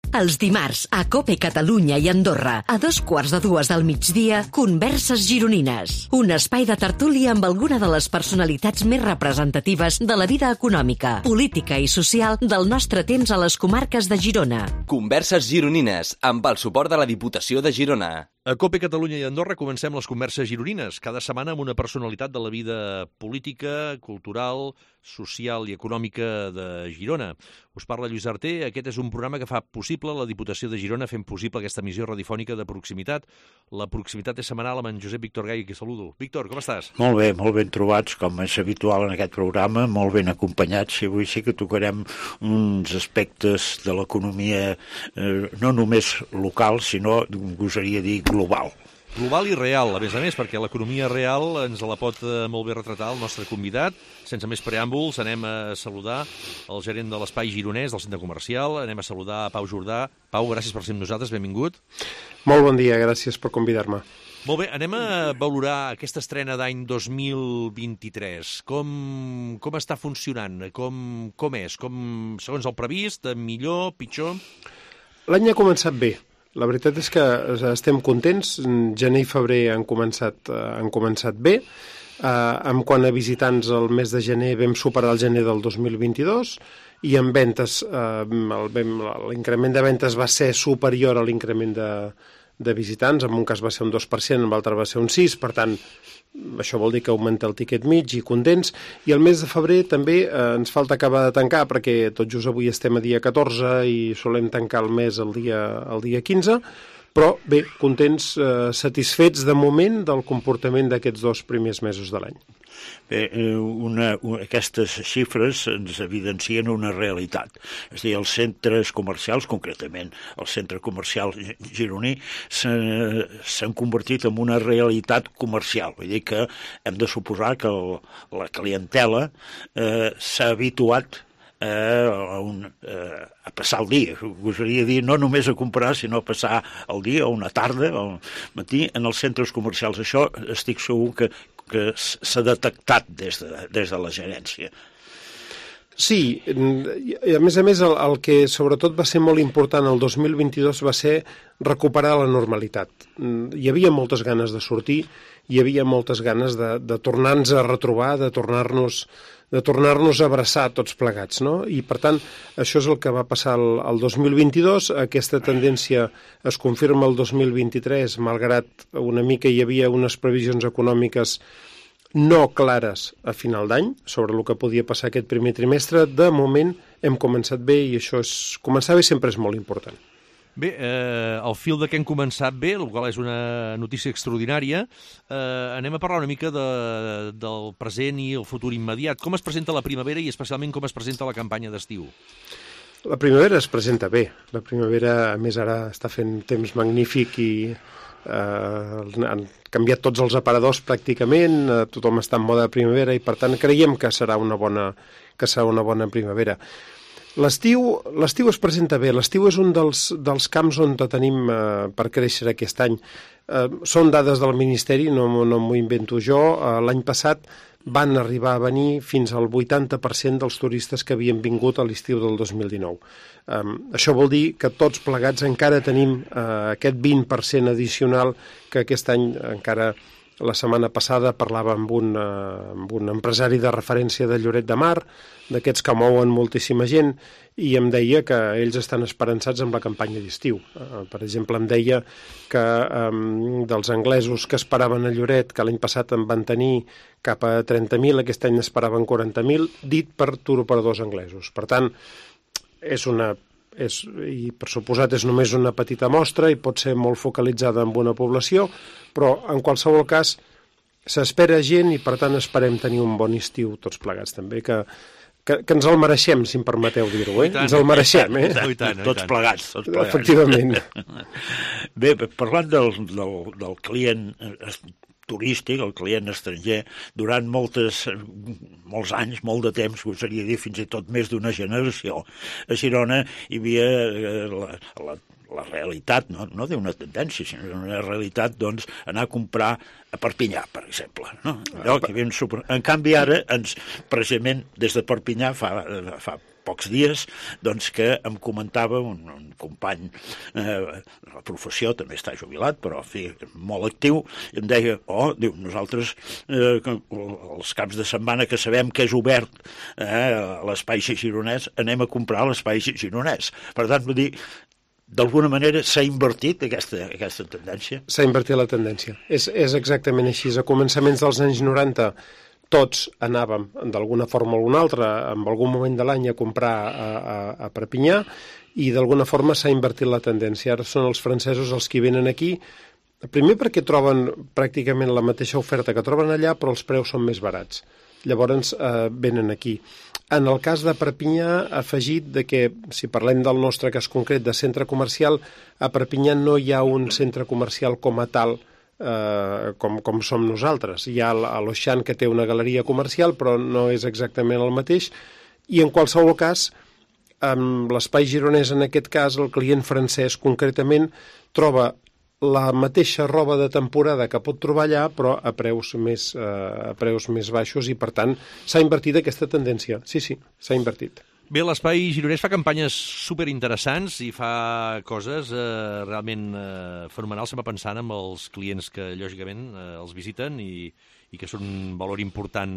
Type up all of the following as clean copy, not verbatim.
Els dimarts, a COPE Catalunya i Andorra, a 2:15 del migdia, Converses Gironines. Un espai de tertúlia amb alguna de les personalitats més representatives de la vida econòmica, política i social del nostre temps a les comarques de Girona. Converses Gironines, amb el suport de la Diputació de Girona. A COPE Catalunya i Andorra comencem les converses gironines, cada setmana amb una personalitat de la vida política, cultural, social i econòmica de Girona. Us parla Lluís Arter. Aquest és un programa que fa possible la Diputació de Girona fent possible aquesta emissió radiofònica de proximitat. La proximitat és setmanal amb en Josep Víctor Gai, que saludo. Víctor, com estàs? Molt ben trobats, com és habitual en aquest programa, molt ben acompanyats, i avui sí que tocarem uns aspectes de l'economia no només local, sinó, gosaria dir, global. Global i real, a més, perquè l'economia real ens la pot molt bé retratar el nostre convidat. Sense més preàmbuls, anem a saludar el gerent de l'Espai Gironès, del centre comercial. Anem a saludar a Pau Jordà. Pau, gràcies per ser amb nosaltres, benvingut. Molt bon dia, gràcies per convidar-me. Molt bé, anem a valorar aquesta estrena d'any 2023. Com està funcionant? Com és? Segons el previst, millor, pitjor? L'any ha començat bé. La veritat és que estem contents. Gener i febrer han començat bé. En quant a visitants, el mes de gener vam superar el gener del 2022 i en ventes, l'increment de ventes va ser superior a l'increment de visitants. En un cas va ser un 2%, en l'altre va ser un 6%, per tant, això vol dir que augmenta el tiquet mig i contents. I el mes de febrer també ens falta acabar de tancar, perquè tot just avui estem a dia 14 i solem tancar el mes el dia 15, però bé, contents, satisfets de moment del comportament d'aquests 2 primers mesos de l'any. Bé, aquestes xifres ens evidencien una realitat. És a dir, els centres comercials, concretament el centre comercial gironí, s'han convertit en una realitat comercial. Vull dir que hem de suposar que la clientela s'ha habituat a passar el dia. Gosaria dir, no només a comprar, sinó a passar el dia o una tarda o al matí en els centres comercials. Això estic segur que s'ha detectat des de la gerència. Sí, i a més, el que sobretot va ser molt important el 2022 va ser recuperar la normalitat. Hi havia moltes ganes de sortir, hi havia moltes ganes de tornar-nos a retrobar, de tornar-nos a abraçar tots plegats, no? I, per tant, això és el que va passar el 2022. Aquesta tendència es confirma el 2023, malgrat una mica hi havia unes previsions econòmiques no clares a final d'any sobre el que podia passar aquest primer trimestre. De moment hem començat bé i començar bé sempre és molt important. Bé, al fil de que hem començat bé, el qual és una notícia extraordinària, anem a parlar una mica del present i el futur immediat. Com es presenta la primavera i especialment com es presenta la campanya d'estiu? La primavera es presenta bé. La primavera, a més, ara està fent temps magnífic i han canviat tots els aparadors pràcticament, tothom està en moda de primavera i, per tant, creiem que serà una bona primavera. L'estiu es presenta bé. L'estiu és un dels camps on tenim per créixer aquest any. Són dades del Ministeri, no m'ho invento jo. L'any passat van arribar a venir fins al 80% dels turistes que havien vingut a l'estiu del 2019. Això vol dir que tots plegats encara tenim aquest 20% addicional que aquest any encara. La setmana passada parlava amb un empresari de referència de Lloret de Mar, d'aquests que mouen moltíssima gent, i em deia que ells estan esperançats amb la campanya d'estiu. Per exemple, em deia que dels anglesos que esperaven a Lloret, que l'any passat en van tenir cap a 30.000, aquest any esperaven 40.000, dit per turoperadors anglesos. Per tant, i per suposat és només una petita mostra i pot ser molt focalitzada en una població, però en qualsevol cas s'espera gent i per tant esperem tenir un bon estiu tots plegats també, que ens el mereixem, si em permeteu dir-ho, ens el mereixem, Tots plegats. Efectivament. Bé, parlant del client turístic, el client estranger, durant molts anys, molt de temps, gosaria dir fins i tot més d'una generació, a Girona hi havia la realitat, no d'una tendència, sinó una realitat, doncs, anar a comprar a Perpinyà, per exemple. No? En canvi, ara, precisament, des de Perpinyà fa pocs dies, doncs que em comentava un company, la professió també està jubilat, però en fi, molt actiu, i em deia, diu, nosaltres els caps de setmana que sabem que és obert a l'espai gironès, anem a comprar a l'espai gironès. Per tant, vull dir, d'alguna manera s'ha invertit aquesta tendència? S'ha invertit la tendència. És exactament així. A començaments dels anys 90 tots anàvem, d'alguna forma o alguna altra, en algun moment de l'any a comprar a Perpinyà, i d'alguna forma s'ha invertit la tendència. Ara són els francesos els que venen aquí, primer perquè troben pràcticament la mateixa oferta que troben allà, però els preus són més barats. Llavors venen aquí. En el cas de Perpinyà, ha afegit que, si parlem del nostre cas concret de centre comercial, a Perpinyà no hi ha un centre comercial com a tal com som nosaltres. Hi ha l'Auchan, que té una galeria comercial, però no és exactament el mateix, i en qualsevol cas, amb l'espai gironès, en aquest cas, el client francès concretament troba la mateixa roba de temporada que pot trobar allà, però a preus més baixos, i per tant s'ha invertit aquesta tendència. Sí, s'ha invertit. Bé, l'Espai Gironès fa campanyes superinteressants i fa coses realment fenomenals. Estem pensant en els clients que, lògicament, els visiten i que són un valor important,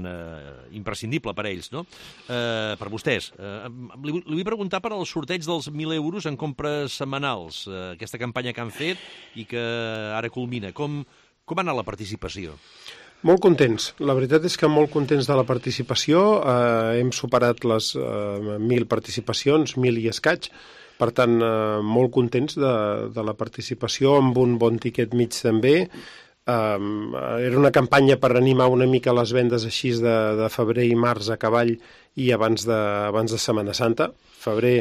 imprescindible per a ells, no? Per vostès. Li vull preguntar per al sorteig dels 1.000 euros en compres setmanals, aquesta campanya que han fet i que ara culmina. Com ha anat la participació? Molt contents. La veritat és que molt contents de la participació. Hem superat les 1.000 participacions, 1.000 i escaig. Per tant, molt contents de la participació, amb un bon tiquet mig també. Era una campanya per animar una mica les vendes així de febrer i març a cavall i abans de Setmana Santa. Febrer,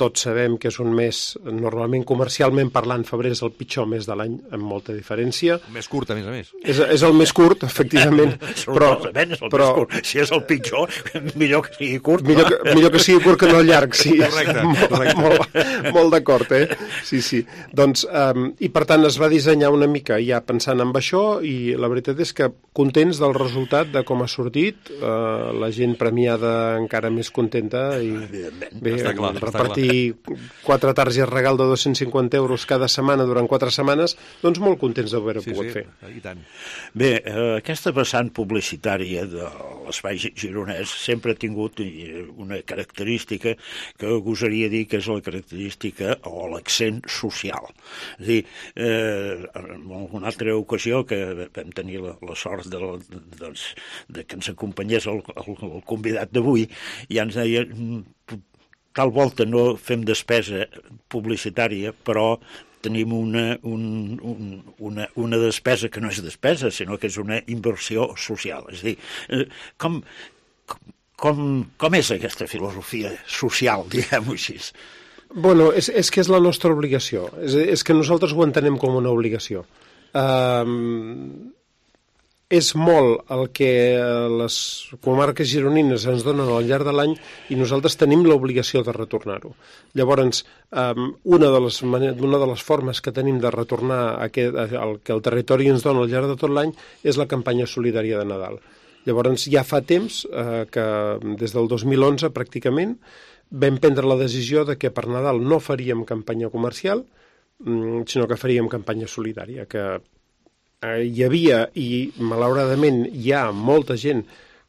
tots sabem que és un mes, normalment comercialment parlant, febrer és el pitjor mes de l'any, amb molta diferència. Més curt, a més. És el més curt, efectivament. Però més curt. Si és el pitjor, millor que sigui curt. Millor que sigui curt que no llarg, sí. Correcte. Molt d'acord, Sí. Doncs, i per tant es va dissenyar una mica ja pensant en això, i la veritat és que contents del resultat, de com ha sortit, la gent premiada encara més contenta, i bé, repartir 4 targes regal de 250 euros cada setmana durant 4 setmanes, doncs molt contents d'haver-ho pogut fer. I tant. Bé, aquesta vessant publicitària de l'espai gironès sempre ha tingut una característica que gosaria dir que és la característica o l'accent social. És a dir, en alguna altra ocasió que vam tenir la sort de que ens acompanyés el convidat d'avui, i ens deia, tal volta no fem despesa publicitària, però tenim una despesa que no és despesa, sinó que és una inversió social. És a dir, com és aquesta filosofia social, diguem-ho així? Bueno, és que és la nostra obligació. És que nosaltres ho entenem com una obligació. És molt el que les comarques gironines ens donen al llarg de l'any, i nosaltres tenim l'obligació de retornar-ho. Llavors, una de les formes que tenim de retornar el que el territori ens dona al llarg de tot l'any és la campanya solidària de Nadal. Llavors, ja fa temps que, des del 2011 pràcticament, vam prendre la decisió de que per Nadal no faríem campanya comercial, sinó que faríem campanya solidària, que hi havia, i malauradament hi ha molta gent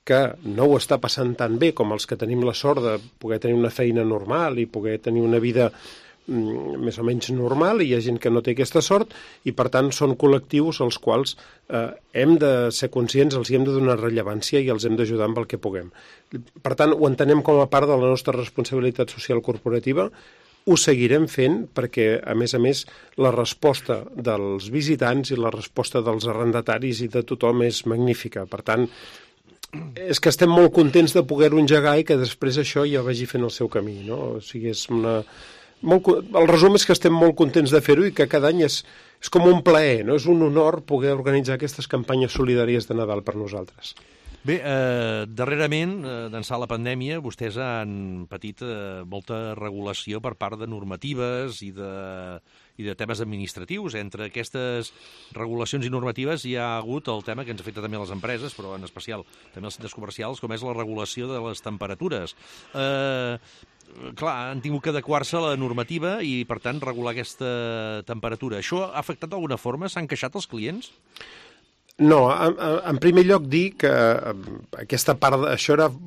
que no ho està passant tan bé com els que tenim la sort de poder tenir una feina normal i poder tenir una vida més o menys normal, i hi ha gent que no té aquesta sort, i per tant són col·lectius als quals hem de ser conscients, els hem de donar rellevància i els hem d'ajudar amb el que puguem. Per tant, ho entenem com a part de la nostra responsabilitat social corporativa. Ho seguirem fent perquè, a més, la resposta dels visitants i la resposta dels arrendataris i de tothom és magnífica. Per tant, és que estem molt contents de poder-ho engegar i que després això ja vagi fent el seu camí, no? O sigui, el resum és que estem molt contents de fer-ho i que cada any és com un plaer, no? És un honor poder organitzar aquestes campanyes solidàries de Nadal per nosaltres. Bé, darrerament, d'ençà la pandèmia, vostès han patit molta regulació per part de normatives i i de temes administratius. Entre aquestes regulacions i normatives hi ha hagut el tema que ens afecta també a les empreses, però en especial també als centres comercials, com és la regulació de les temperatures. Clar, han tingut que adequar-se a la normativa i, per tant, regular aquesta temperatura. Això ha afectat d'alguna forma? S'han queixat els clients? No, en primer lloc dir que aquesta part,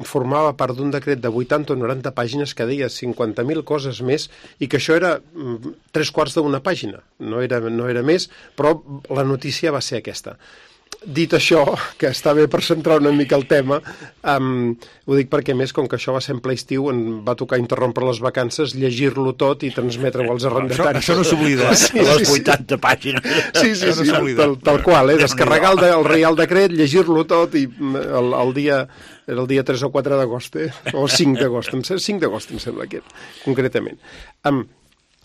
formava part d'un decret de 80 o 90 pàgines que deia 50.000 coses més i que això era 3/4 d'una pàgina, no era més, però la notícia va ser aquesta. Dit això, que està bé per centrar una mica el tema, ho dic perquè, més, com que això va ser en ple estiu, em va tocar interrompre les vacances, llegir-lo tot i transmetre-ho als arrendataris. Això no s'oblida, Sí, les 80 pàgines. Sí, tal qual, descarregar el Reial Decret, llegir-lo tot i el dia 3 o 4 d'agost, o 5 d'agost, 5 d'agost em sembla que era, concretament.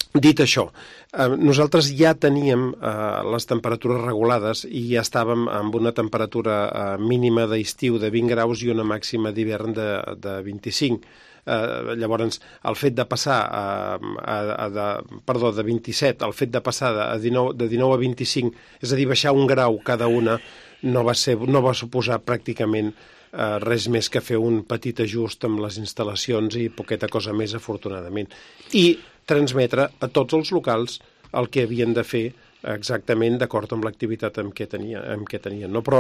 Dit això, nosaltres ja teníem les temperatures regulades i ja estàvem amb una temperatura mínima d'estiu de 20 graus i una màxima d'hivern de 25. Llavors, el fet de passar de 27, el fet de passar de 19 a 25, és a dir, baixar un grau cada una, no va suposar pràcticament res més que fer un petit ajust amb les instal·lacions i poqueta cosa més, afortunadament. I transmetre a tots els locals el que havien de fer exactament d'acord amb l'activitat amb què tenien. No? Però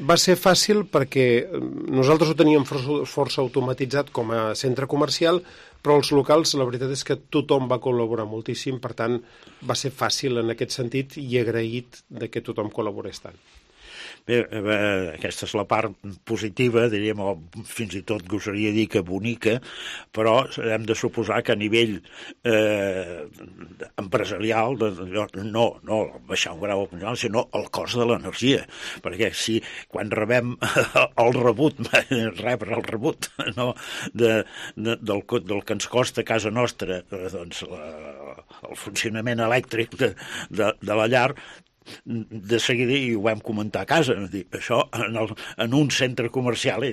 va ser fàcil perquè nosaltres ho teníem força automatitzat com a centre comercial, però els locals, la veritat és que tothom va col·laborar moltíssim, per tant, va ser fàcil en aquest sentit i agraït de que tothom col·laborés tant. Bé, aquesta és la part positiva, diríem, o fins i tot gosaria dir que bonica, però hem de suposar que a nivell empresarial, no baixar un grau, sinó el cost de l'energia, perquè si quan rebem el rebut, rebre el rebut del que ens costa a casa nostra, doncs el funcionament elèctric de la llar, de seguida, i ho vam comentar a casa, això en un centre comercial i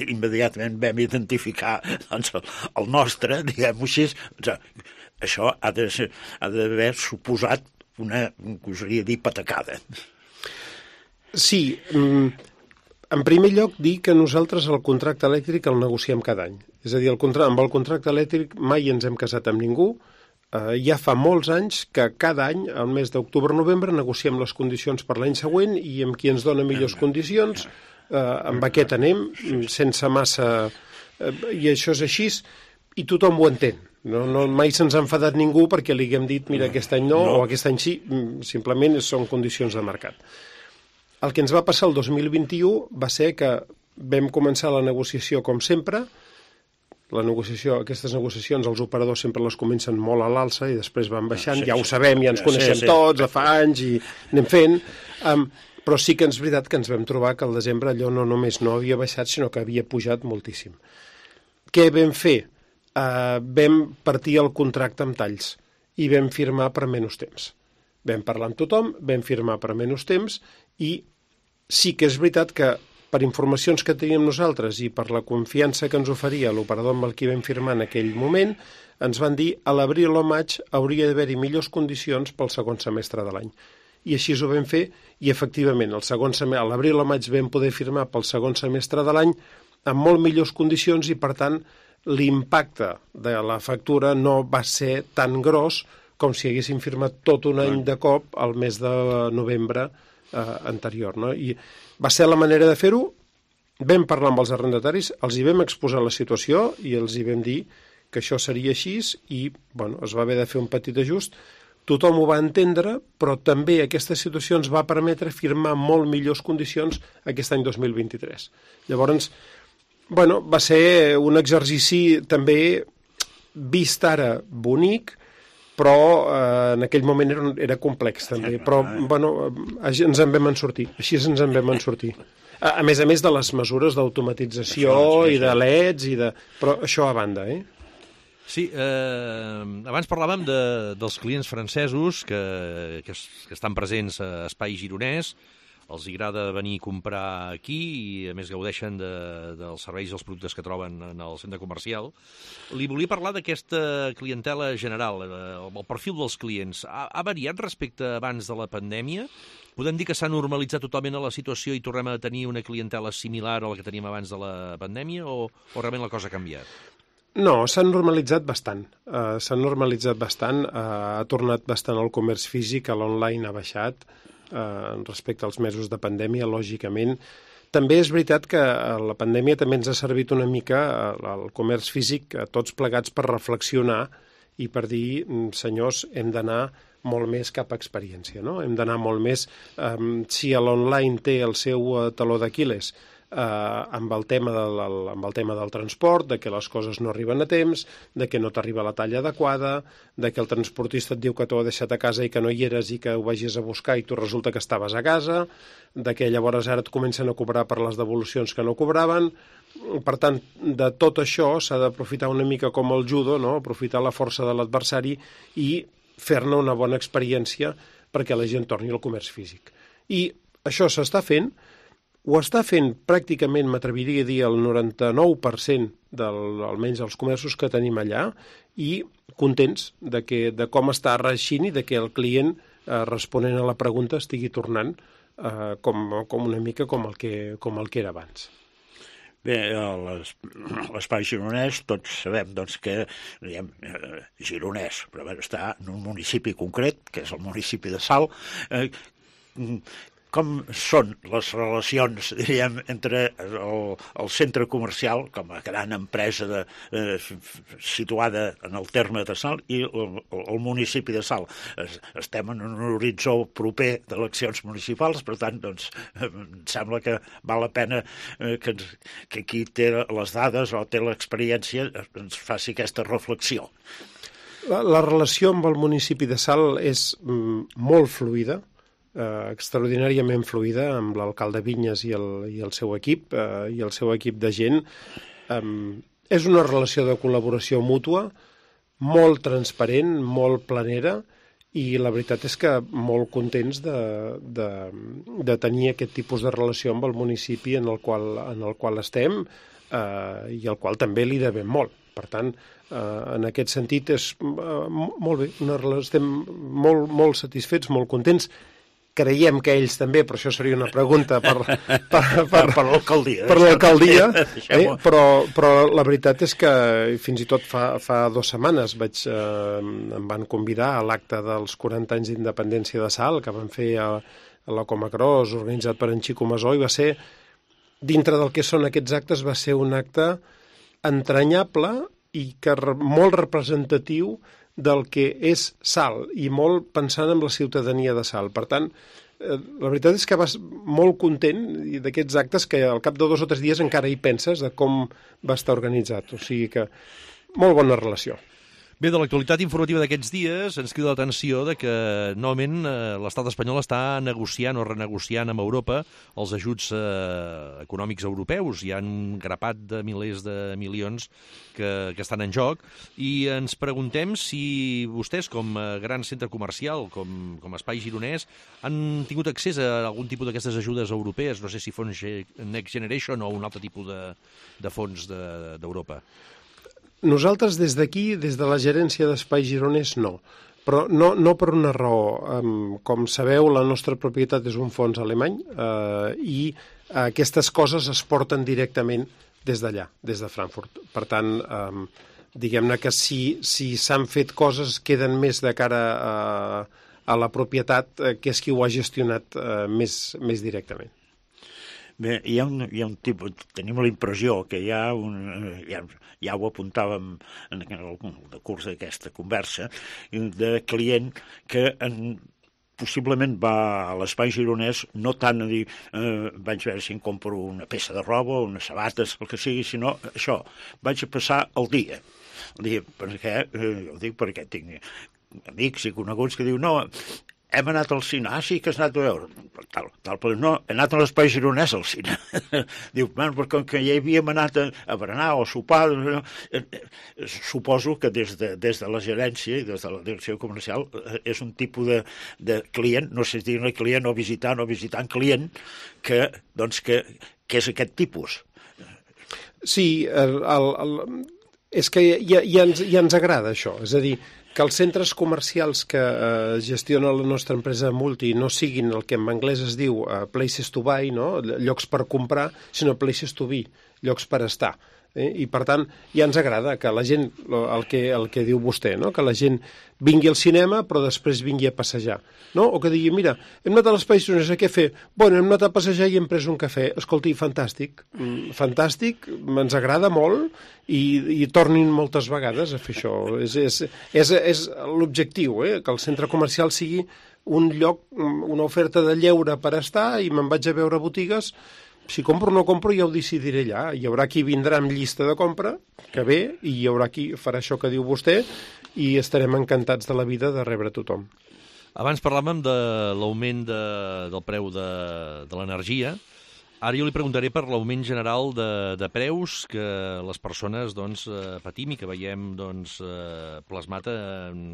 immediatament vam identificar doncs, el nostre, diguem-ho així. Això ha d'haver suposat una, gosaria dir, patacada. Sí, en primer lloc dir que nosaltres el contracte elèctric el negociem cada any. És a dir, amb el contracte elèctric mai ens hem casat amb ningú. Ja fa molts anys que cada any, al mes d'octubre-novembre, negociem les condicions per l'any següent i amb qui ens dona millors condicions, amb aquest anem, sense massa... I això és així, i tothom ho entén. Mai se'ns ha enfadat ningú perquè li haguem dit, mira, aquest any no, o aquest any sí, simplement són condicions de mercat. El que ens va passar el 2021 va ser que vam començar la negociació com sempre. Aquestes negociacions, els operadors sempre les comencen molt a l'alça i després van baixant, ja ho sabem, ja ens coneixem tots, de fa anys i anem fent, però sí que és veritat que ens vam trobar que al desembre allò no només no havia baixat, sinó que havia pujat moltíssim. Què vam fer? Vam partir el contracte amb talls i vam firmar per menys temps. Vam parlar amb tothom, vam firmar per menys temps i sí que és veritat que per informacions que teníem nosaltres i per la confiança que ens oferia l'operador amb el qui vam firmar en aquell moment, ens van dir a l'abril o maig hauria d'haver-hi millors condicions pel segon semestre de l'any. I així ho vam fer i, efectivament, a l'abril o maig vam poder firmar pel segon semestre de l'any amb molt millors condicions i, per tant, l'impacte de la factura no va ser tan gros com si haguéssim firmat tot un any de cop al mes de novembre anterior. No? I va ser la manera de fer-ho. Vam parlar amb els arrendataris, els hi vam exposar la situació i els hi vam dir que això seria així i es va haver de fer un petit ajust. Tothom ho va entendre, però també aquesta situació ens va permetre firmar molt millors condicions aquest any 2023. Llavors, va ser un exercici també vist ara bonic, però en aquell moment era complex també, però ens en vam sortir, així ens en vam sortir. A més de les mesures d'automatització i de LEDs, però això a banda, Sí, abans parlàvem dels clients francesos que estan presents a Espai Gironès, els agrada venir a comprar aquí i, a més, gaudeixen dels serveis i els productes que troben en el centre comercial. Li volia parlar d'aquesta clientela general, el perfil dels clients. Ha variat respecte abans de la pandèmia? Podem dir que s'ha normalitzat totalment a la situació i tornem a tenir una clientela similar a la que teníem abans de la pandèmia o realment la cosa ha canviat? No, s'han normalitzat bastant. Ha tornat bastant el comerç físic, l'online ha baixat respecte als mesos de pandèmia, lògicament. També és veritat que la pandèmia també ens ha servit una mica el comerç físic, tots plegats, per reflexionar i per dir, senyors, hem d'anar molt més cap a experiència, no? Hem d'anar molt més... Si l'online té el seu taló d'Aquil·les amb el tema del transport, de que les coses no arriben a temps, de que no t'arriba la talla adequada, de que el transportista et diu que t'ho ha deixat a casa i que no hi eres i que ho vagis a buscar i tu resulta que estaves a casa, de que llavors ara et comencen a cobrar per les devolucions que no cobraven. Per tant, de tot això s'ha d'aprofitar una mica com el judo, no? Aprofitar la força de l'adversari i fer-ne una bona experiència perquè la gent torni al comerç físic. I això s'està fent. Ho està fent pràcticament, m'atreviria a dir, el 99% almenys dels comerços que tenim allà i contents de com està reeixint i de que el client, responent a la pregunta, estigui tornant com una mica com el que era abans. Bé, l'espai gironès, tots sabem que gironès, però està en un municipi concret, que és el municipi de Salt. Com són les relacions, diríem, entre el centre comercial, com a gran empresa situada en el terme de Salt, i el municipi de Salt? Estem en un horitzó proper d'eleccions municipals, per tant, em sembla que val la pena que qui té les dades o té l'experiència ens faci aquesta reflexió. La relació amb el municipi de Salt és molt fluida, extraordinàriament fluida, amb l'alcalde Vinyes i el seu equip de gent. És una relació de col·laboració mútua, molt transparent, molt planera, i la veritat és que molt contents de tenir aquest tipus de relació amb el municipi en el qual estem i al qual també li devem molt. Per tant, en aquest sentit és molt bé, estem molt satisfets, molt contents. Creiem que ells també, però això seria una pregunta per l'alcaldia. Per l'alcaldia, però la veritat és que fins i tot fa 2 setmanes em van convidar a l'acte dels 40 anys d'independència de Salt, que van fer a la Comacros, organitzat per en Xico Masó, i va ser, dintre del que són aquests actes, va ser un acte entranyable i molt representatiu del que és Salt, i molt pensant en la ciutadania de Salt. Per tant, la veritat és que vas molt content d'aquests actes que al cap de 2 o 3 dies encara hi penses de com va estar organitzat. O sigui que molt bona relació. Bé, de l'actualitat informativa d'aquests dies ens crida l'atenció de que novament l'estat espanyol està negociant o renegociant amb Europa els ajuts econòmics europeus. Hi ha un grapat de milers de milions que estan en joc i ens preguntem si vostès, com a gran centre comercial, com a espai gironès, han tingut accés a algun tipus d'aquestes ajudes europees, no sé si fons Next Generation o un altre tipus de fons d'Europa. Nosaltres des d'aquí, des de la gerència d'Espai Gironès, no. Però no per una raó. Com sabeu, la nostra propietat és un fons alemany i aquestes coses es porten directament des d'allà, des de Frankfurt. Per tant, diguem-ne que si s'han fet coses, queden més de cara a la propietat, que és qui ho ha gestionat més directament. Bé, hi ha un tipus, tenim la impressió que ja ho apuntàvem en el curs d'aquesta conversa, de client que possiblement va a l'espai gironès no tant a dir vaig veure si em compro una peça de roba o unes sabates, el que sigui, sinó això, vaig a passar el dia. Ho dic perquè tinc amics i coneguts que diuen no, hem anat al cine. Sí que has anat a veure. Tal, però no, he anat a l'Espai Gironès al cine. Diu, però com que ja havíem anat a berenar o a sopar, suposo que des de la gerència i des de la direcció comercial és un tipus de client, no sé si dir-ne client o visitant client, que és aquest tipus. Sí, és que ja ens agrada això, és a dir, que els centres comercials que gestiona la nostra empresa Multi no siguin el que en anglès es diu places to buy, no? Llocs per comprar, sinó places to be, llocs per estar. I per tant ja ens agrada que la gent, el que diu vostè, no? Que la gent vingui al cinema però després vingui a passejar, no? O que digui, mira, hem anat a l'Espai Gironès, què fer? Bueno, hem anat a passejar i hem pres un cafè. Escolti, fantàstic, ens agrada molt i tornin moltes vegades a fer això. És l'objectiu, que el centre comercial sigui un lloc, una oferta de lleure per estar, i me'n vaig a veure botigues. Si compro o no compro ja ho decidiré allà. Hi haurà qui vindrà amb llista de compra, que ve, i hi haurà qui farà això que diu vostè, i estarem encantats de la vida de rebre tothom. Abans parlàvem de l'augment del preu de l'energia. Ara jo li preguntaré per l'augment general de preus que les persones patim i que veiem plasmat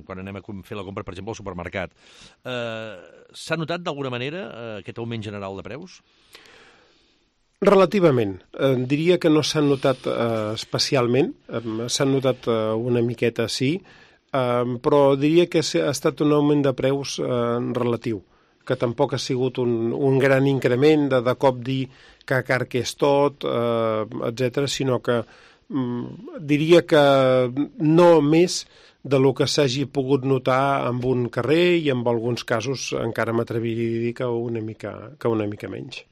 quan anem a fer la compra, per exemple, al supermercat. S'ha notat d'alguna manera aquest augment general de preus? Relativament. Diria que no s'han notat especialment, s'han notat una miqueta, sí, però diria que ha estat un augment de preus relatiu, que tampoc ha sigut un gran increment de cop dir que car que és tot, etc., sinó que diria que no més de lo que s'hagi pogut notar en un carrer, i en alguns casos encara m'atreviria a dir que una mica menys.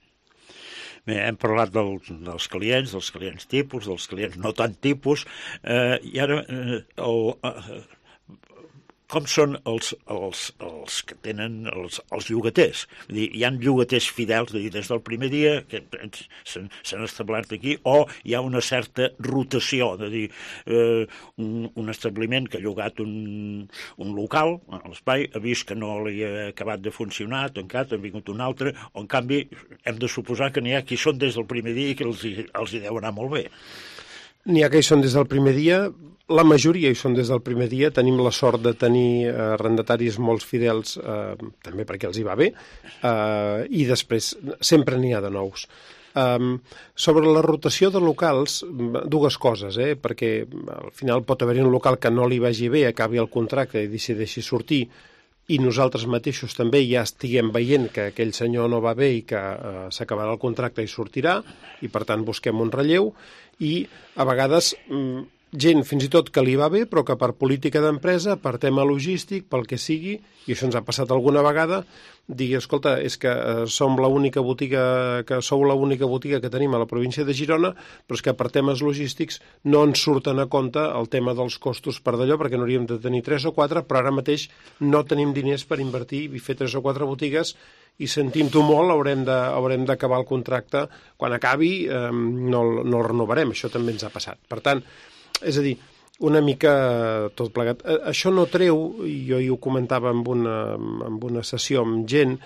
Bé, hem parlat dels clients tipus, dels clients no tant tipus, i ara com són els que tenen els llogaters? Vull dir, hi ha llogaters fidels des del primer dia que s'han establert aquí, o hi ha una certa rotació, de dir, un establiment que ha llogat un local a l'espai, ha vist que no li ha acabat de funcionar, tancat, ha vingut un altre, o en canvi hem de suposar que n'hi ha qui són des del primer dia i que els hi deu anar molt bé. N'hi ha que hi són des del primer dia, la majoria hi són des del primer dia. Tenim la sort de tenir arrendataris molt fidels, també perquè els hi va bé, i després sempre n'hi ha de nous. Sobre la rotació de locals, dues coses, perquè al final pot haver-hi un local que no li vagi bé, acabi el contracte i decideixi sortir, i nosaltres mateixos també ja estiguem veient que aquell senyor no va bé i que s'acabarà el contracte i sortirà, i per tant busquem un relleu, i a vegades gent fins i tot que li va bé però que per política d'empresa, per tema logístic, pel que sigui, i això ens ha passat alguna vegada, digui, escolta, és que sou l'única botiga que tenim a la província de Girona, però és que per temes logístics no ens surten a compte el tema dels costos per d'allò, perquè n'hauríem de tenir 3 o 4, però ara mateix no tenim diners per invertir i fer 3 o 4 botigues, i sentint-ho molt haurem d'acabar el contracte. Quan acabi no el renovarem, això també ens ha passat. Per tant, és a dir, una mica tot plegat. Això no treu, i jo ho comentava en una sessió amb gent,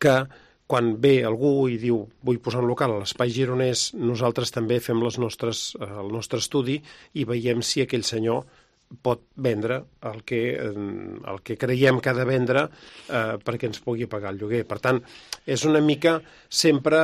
que quan ve algú i diu vull posar un local a l'Espai Gironès, nosaltres també fem el nostre estudi i veiem si aquell senyor pot vendre el que creiem que ha de vendre perquè ens pugui pagar el lloguer. Per tant, és una mica sempre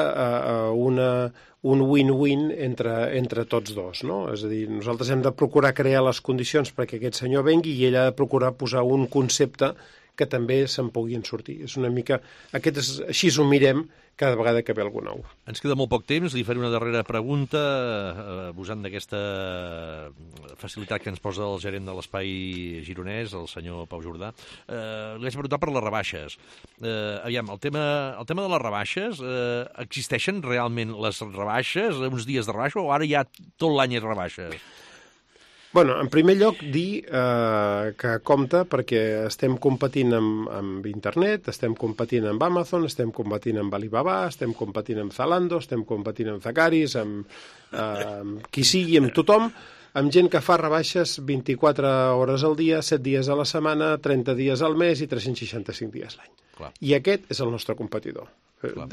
un win-win entre tots dos, no? És a dir, nosaltres hem de procurar crear les condicions perquè aquest senyor vengui i ell ha de procurar posar un concepte que també se'n puguin sortir. És una mica... Així ho mirem cada vegada que ve algú nou. Ens queda molt poc temps, li faré una darrera pregunta, abusant d'aquesta facilitat que ens posa el gerent de l'Espai Gironès, el senyor Pau Jordà. Li vaig preguntar per les rebaixes. Aviam, el tema de les rebaixes, existeixen realment les rebaixes, uns dies de rebaixa, o ara ja tot l'any és rebaixes? Bueno, en primer lloc, dir que compte perquè estem competint amb internet, estem competint amb Amazon, estem competint amb Alibaba, estem competint amb Zalando, estem competint amb Zacaris, amb qui sigui, amb tothom. amb gent que fa rebaixes 24 hores al dia, 7 dies a la setmana, 30 dies al mes i 365 dies l'any. I aquest és el nostre competidor.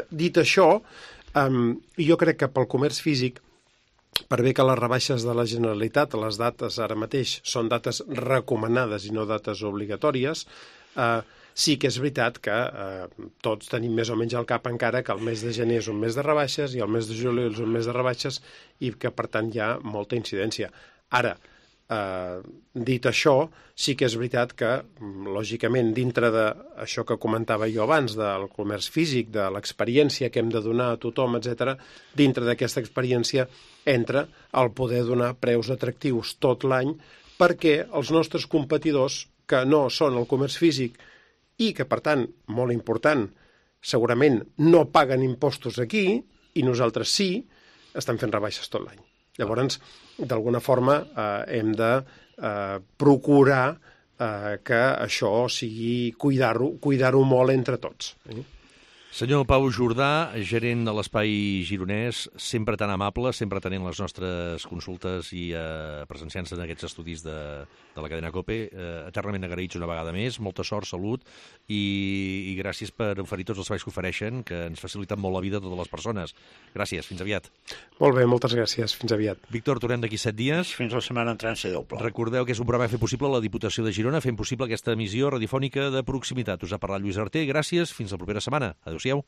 Dit això, jo crec que pel comerç físic, per bé que les rebaixes de la Generalitat, les dates ara mateix són dates recomanades i no dates obligatòries, sí que és veritat que tots tenim més o menys al cap encara que el mes de gener és un mes de rebaixes i el mes de juliol és un mes de rebaixes i que, per tant, hi ha molta incidència. Ara, dit això, sí que és veritat que, lògicament, dintre d'això que comentava jo abans, del comerç físic, de l'experiència que hem de donar a tothom, etc., dintre d'aquesta experiència entra el poder donar preus atractius tot l'any perquè els nostres competidors, que no són el comerç físic i que, per tant, molt important, segurament no paguen impostos aquí i nosaltres sí, estan fent rebaixes tot l'any. Llavors, d'alguna forma, hem de procurar que això sigui cuidar-ho molt entre tots. Senyor Pau Jordà, gerent de l'Espai Gironès, sempre tan amable, sempre tenint les nostres consultes i presenciant-se en aquests estudis de la cadena COPE. Eternament agraïts una vegada més, molta sort, salut i gràcies per oferir tots els serveis que ofereixen, que ens faciliten molt la vida a totes les persones. Gràcies, fins aviat. Molt bé, moltes gràcies, fins aviat. Víctor, tornem d'aquí 7 dies. Fins la setmana entrant ser doble. Recordeu que és un programa que ha fet possible la Diputació de Girona, fent possible aquesta emissió radiofònica de proximitat. Us ha parlat Lluís Arter, gràcies, fins la propera setmana. Adéu-siau.